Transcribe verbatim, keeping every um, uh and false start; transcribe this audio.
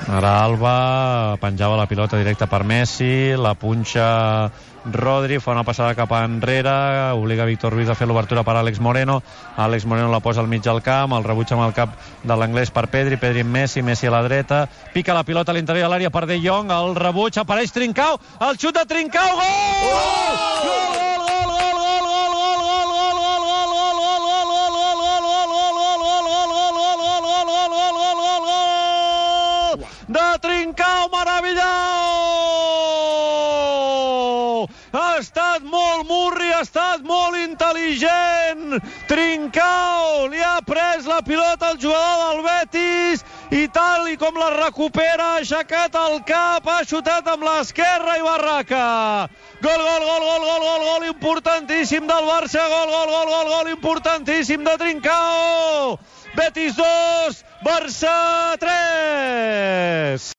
Ara Alba penjava la pilota directa per Messi, la punxa Rodri, fa una passada cap enrere, obliga Víctor Ruiz a fer l'obertura per Àlex Moreno. Àlex Moreno la posa al mig del camp, el rebutja amb el cap de l'anglès per Pedri, Pedri amb Messi, Messi a la dreta, pica la pilota a l'interior de l'àrea per De Jong, el rebuig, apareix Trincao, el xut de Trincao, gol! Gol! Gol! de Trincao, meravellós! Ha estat molt murri, ha estat molt intel·ligent. Trincao li ha pres la pilota al jugador del Betis i tal i com la recupera, ha aixecat el cap, ha xutat amb l'esquerra i barraca. Gol, gol, gol, gol, gol, gol, gol importantíssim del Barça, gol, gol, gol, gol, gol importantíssim de Trincao. Betis dos, Barça tres.